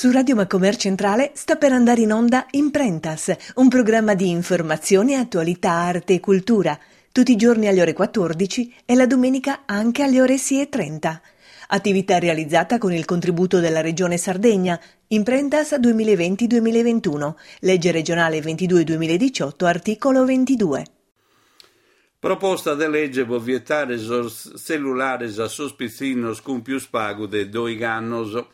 Su Radio Macomer Centrale sta per andare in onda Imprentas, un programma di informazione, attualità, arte e cultura, tutti i giorni alle ore 14 e la domenica anche alle ore 6.30. Attività realizzata con il contributo della Regione Sardegna, Imprentas 2020-2021, legge regionale 22-2018, articolo 22. Proposta de lege pro vietare sos tzellulares a sos pitzinnos cun pius pagu de doigh'annos.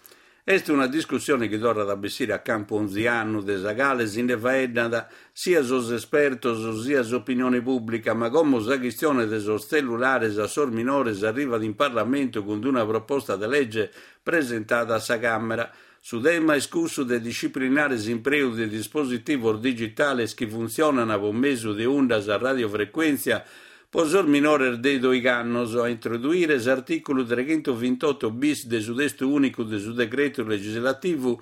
Est una discussione chi torrat a bessire a campu onzi annu, de sa cale si nde faeddant sia sos espertos sia s'opinione pùblica, ma como sa chistione de sos tzellulares a sos minores arrivat in Parlamentu cun una proposta de lege presentada a sa Càmera. Su tema est cussu de disciplinare s'impreu de dispositivos digitales chi funtzionant pro mesu de undas a radiofrecuèntzia pro sos minores de doigh'annos, a introduire s'artìculu treghentovintotto bis de su testu ùnicu de su decretu legislativu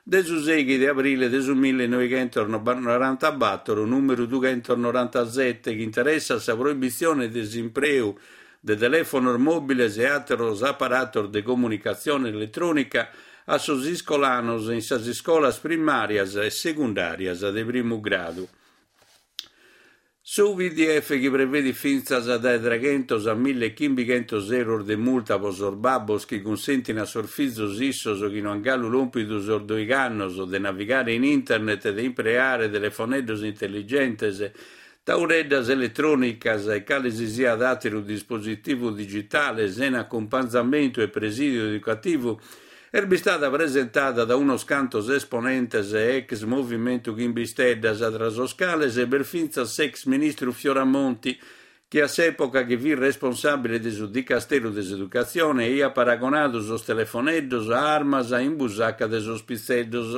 de su sèighi de abrile de su millenoighentosnorantabatoro nùmeru dughentosnorantasete chi interessat sa proibitzione de s'impreu de telèfonos mòbiles e àteros aparatos de comunicatzione eletrònica a sos iscolanos in sas iscolas primàrias e segundàrias de primu gradu. Su PDF chi prevedit fintzas dae treghentos a millechimbighentos euros de multa pro sos babbos chi cunsentin a sos fizos issos chi no an galu lòmpidu sos doigh'annos de navigare in internet e de impreare telefoneddos intelligentes Tauleddas eletrònicas e cale si siat àteru dispositivu digitale sena acumpanzamentu e presìdiu educativu est bistada presentada da unos cantos esponentes e ex Movimentu Chimbe Isteddas, tra sos cales b'est fintzas s'ex ministru Fioramonti, chi a s'època chi fit responsàbile de su dicasteru de s'educatzione aiat paragonadu sos telefoneddos a armas in busaca de sos pitzeddos.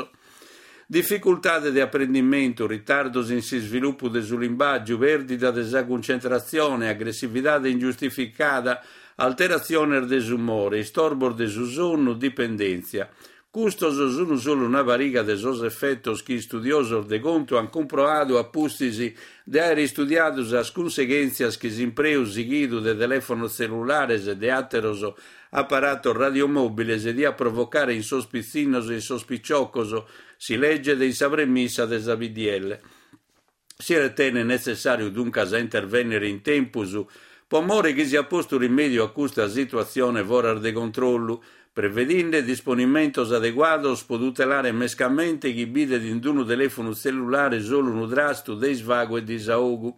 Dificultade de aprendimentu, ritardos in s'isvilupu de su limbàgiu, pèrdida de sa cuncentratzione, agressividade ingiustificada, alteratziones de s'umore, istorbos de su sonnu, dipendèntzia. Custos sunt solu una pariga de sos efetos chi istudiosos de contu ant cumproadu a pustis de àere istudiadu sas cunseghèntzias chi s'impreu sighidu de telèfonos tzellulares e de àteros aparatos radiomòbiles diat provocare in sos pitzinnos e in sos piciocos, si leget in sa premissa de sa PDL. Si retenet netzessàriu duncas a intervènnere in tempus pro more chi siat postu rimèdiu a custa situatzione foras de controllu, prevedinde disponimentos adeguados pro tutelare mescamente chi bidet in unu telèfonu tzellulare solu unu trastu de isvagu e disaogu.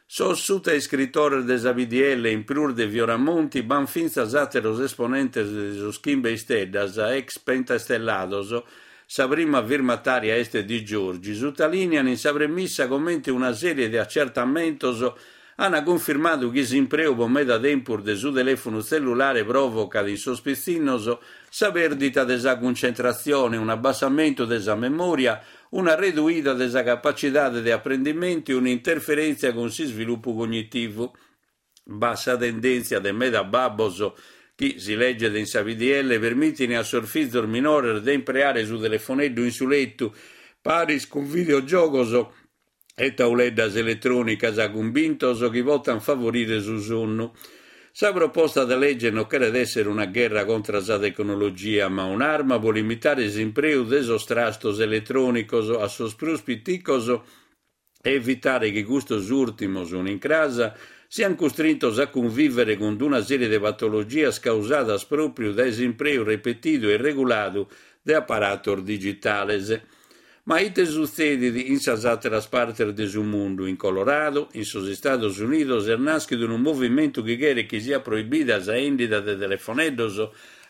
Sos sutaiscritores de sa PDL, in prus de Fioramonti, b'ant fintzas àteros esponentes de sos Chimbe Isteddas, ex pentastellados, sa prima firmatària est Di Giorgi, sutalìnian in sa premissa comente una sèrie de acertamentos ant cunfirmadu chi s'impreu pro meda tempus de su telèfonu tzellulare pròvocat in sos pitzinnos sa pèrdita de sa cuncentratzione, un'abbassamentu de sa memòria, una reduida de sa capacidade de aprendimentu e un'interferèntzia cun s'isvilupu cognitivu. B'at sa tendèntzia de meda babbos chi, si leget in sa PDL, permitin a sos fizos minores de impreare su telefoneddu in su letu, paris cun videogiogos e tauleddas eletrònicas, cumbintos chi potant favorire su sonnu. Sa proposta de lege non cheret èssere una gherra contra sa tecnologia, ma un'arma pro limitare s'impreu de sos trastos eletrònicos a sos prus piticos e evitare chi custos ùrtimos, un'incras, siant custrintos a cunvìvere cun una sèrie de patologias causadas pròpriu dae s'impreu repetidu e irreguladu de aparatos digitales. Ma ite sutzedit in sas àteras partes de su mundu? In Colorado, in sos Istados Unidos, est nàschidu unu movimentu chi cheret chi siat proibida sa 'èndida de telefoneddos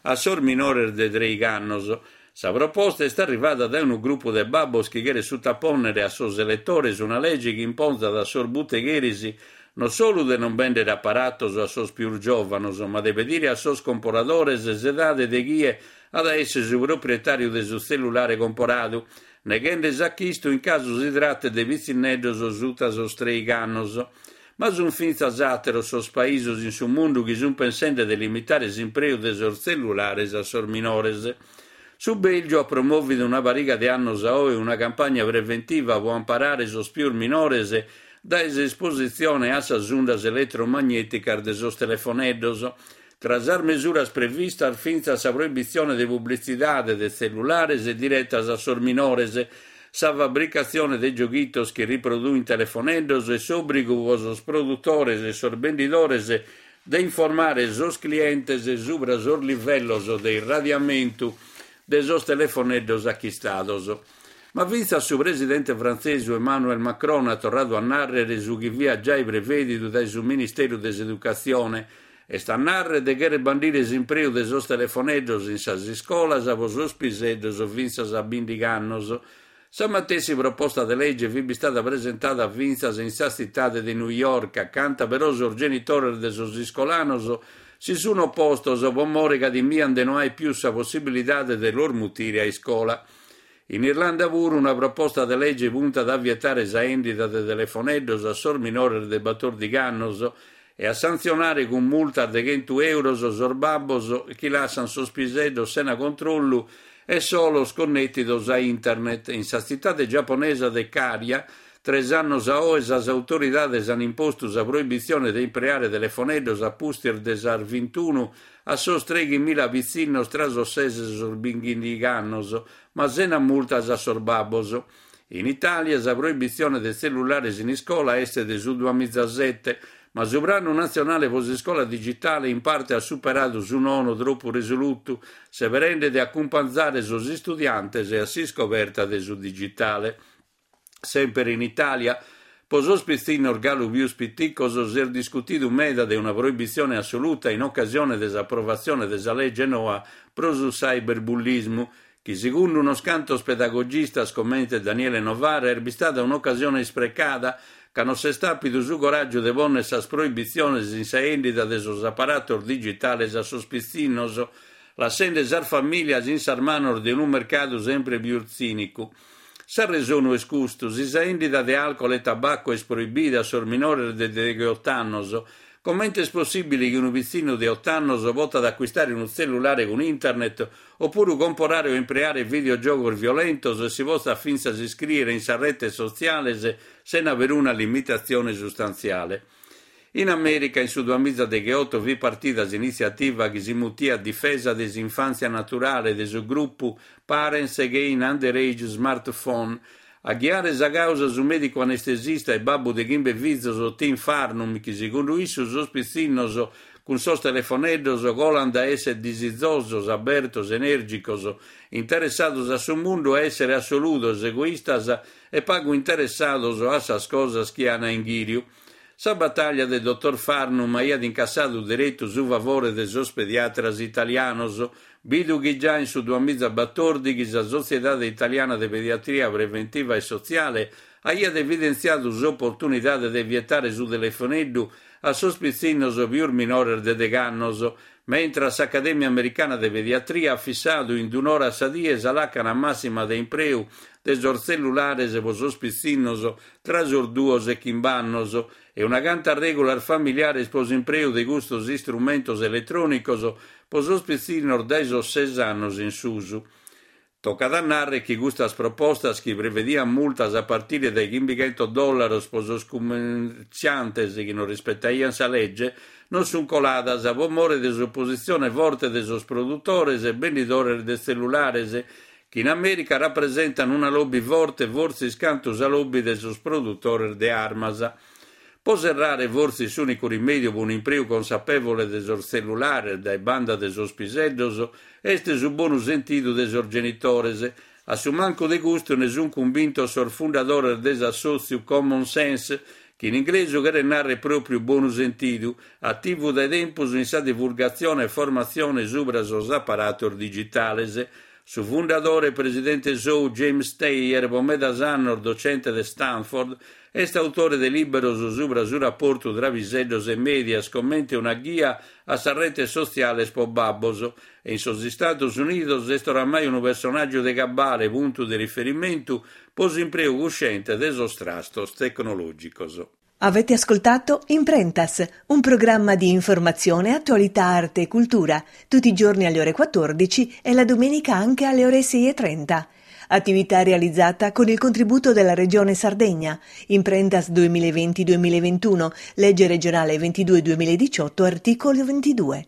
a sos minores de trèigh'annos. Sa proposta est arrivada dae unu grupu de babbos chi cheret sutapònnere a sos eletores una lege chi imponzat a sos butegheris non solu de non bèndere aparatos a sos pius giòvanos, ma de pedire a sos comporadores s'edade de chie at a èssere su proprietàriu de su tzellulare comporadu, neghende s'achistu in casu si tratet de pitzinneddos suta sos trèigh'annos. Ma sunt fintzas àteros sos paisos in su mundu chi sunt pensende de limitare s'impreu de sos tzellulares a sos minores. Su Bèlgiu at promòvidu una pariga de annos a oe una campagna preventiva pro amparare sos pius minores dae s'espositzione a sas undas eletromagnèticas de sos telefoneddos. Tra sas mesuras previstas fintzas sa proibitzione de publitzidade de tzellulares diretas a sos minores, sa fabricatzione de gioghitos chi riproduint telefoneddos e s'òbrigu pro sos produtores e sos bendidores de informare sos clientes subra sos livellos de irradiamentu de sos telefoneddos achistados. Ma fintzas su presidente frantzesu Emmanuel Macron at torradu a nàrrere su chi fiat giai prevèdidu dae su Ministeru de s'Educatzione, est a nàrrere de chèrrere bandire s'impreu de sos telefoneddos in sas iscolas pro sos piseddos fintzas a bìndighi annos. Sa matessi proposta de lege fit bistada presentada fintzas in sa tzitade de New York, acanta però sos genitores de sos iscolanos si sun opostos pro more ca timian de no aer pius sa possibilidade de los mutire a iscola. In Irlanda puru una proposta de lege puntat a vietare sa 'endida de telefoneddos a sos minores de batòrdighi annos e a santzionare cun multas de chentu euros sos babbos chi lassan sos piseddos sena controllu e solos connètidos a internet. In sa tzitade giaponesa de Kariya, tres annos a oe sas autoridades an impostu sa proibitzione de impreare telefoneddos a pustis de sas vintunu a sos treighimila pitzinnos tra sos ses e sos bìndighi annos, ma sena multas a sos babbos. In Itàlia sa proibitzione de tzellulares in iscola est de su duamizasete, ma su Pranu Natzionale pro s'Iscola Digitale in parte at superadu su nono tropu resolutu, seberende de acumpanzare sos istudiantes a s'iscoberta de su digitale. Semper in Itàlia, pro sos pitzinnos galu pius piticos s'est discutidu meda de una proibitzione assoluta in ocasione de s'aprovatzione de sa lege noa pro su cyberbullismu, chi segundu unos cantos pedagogistas comente Daniele Novara est bistada un'ocasione isprecada ca non s'est àpidu su coràgiu de pònnere sas proibitziones in sa 'endida de sos aparatos digitales a sos pitzinnos, lassende sas famìlias in sas manos de unu mercadu sempre pius tzìnicu. S'arresonu est custu, si sa 'endida de alcol e tabacu est proibida a sos minores de degheot'annos, comente est possìbile chi unu pitzinnu de ot'annos potat acuistare unu tzellulare cun internet opuru comporare o impreare videogiogos violentos e si potzat fintzas iscrìere in sas retes sotziales sena peruna limitatzione sustantziale. In Amèrica in su duamizadegheoto fit partida s'initziativa chi si mutiat Difesa de s'infàntzia naturale de su grupu Parents Against Underage Smartphone. A ghiare sa càusa su mèdicu anestesista e babbu de chimbe fizos Tim Farnum chi segundu issu sos pitzinnos cun sos telefoneddos colant dae èssere disizosos, abertos, enèrgicos, interessados a su mundu a èssere assoludos, egoistas e pagu interessados a sas cosas chi an a inghìriu. Sa batàllia de dotor Farnum aiat incassadu deretu su favore de sos pediatras italianos, bidu chi già in su duamizabatòrdighi sa Sotziedade Italiana de Pediatria Preventiva e Sotziale aiat evidentziadu s'oportunidade de vietare su telefoneddu a sos pitzinnos pius minores de degh'annos, mentras s'Acadèmia Americana de Pediatria at fissadu in un'ora a sa die sa làcana màssima de impreu de sos tzellulares pro sos pitzinnos tra sos duos e chimb'annos e una canta règulas familiares pro s'impreu de custos istrumentos eletrònicos pro sos pitzinnos dae sos ses annos in susu. Tocat a nàrrere chi custas propostas, chi prevediant multas a partire dae chimbichentos dòllaros pro sos cummertziantes chi non rispetaiant sa lege, non sunt coladas pro more de s'opositzione forte de sos produtores e bendidores de tzellulares, chi in Amèrica rapresentant una lobby forte fortzis cantu sa lobby de sos produtores de armas. Pro serrare, fortzis s'ùnicu rimèdiu pro un'impreu consapèvole de sos tzellulares dae banda de sos piseddos est su bonu sentidu de sos genitores. A su mancu de custu ne sunt cumbintos sos fundadores de s'assòtziu Common Sense, chi in inglesu cheret nàrrere pròpriu bonu sentidu, ativu dae tempus in sa divulgatzione e formatzione subra sos aparatos digitales. Su fundadore e presidente sou James Steyer, pro medas annos docente de Stanford, Est autore de lìberos subra su raportu tra piseddos e mèdias comente una ghia a sas retes sotziales pro babbos e in sos Istados Unidos est oramai unu personàgiu de cabale puntu de riferimentu pro s'impreu cusciente de sos trastos tecnològicos. Avete ascoltato Imprentas, un programma di informazione, attualità, arte e cultura, tutti i giorni alle ore 14 e la domenica anche alle ore 6.30. Attività realizzata con il contributo della Regione Sardegna. Imprentas 2020-2021, legge regionale 22 2018, articolo 22.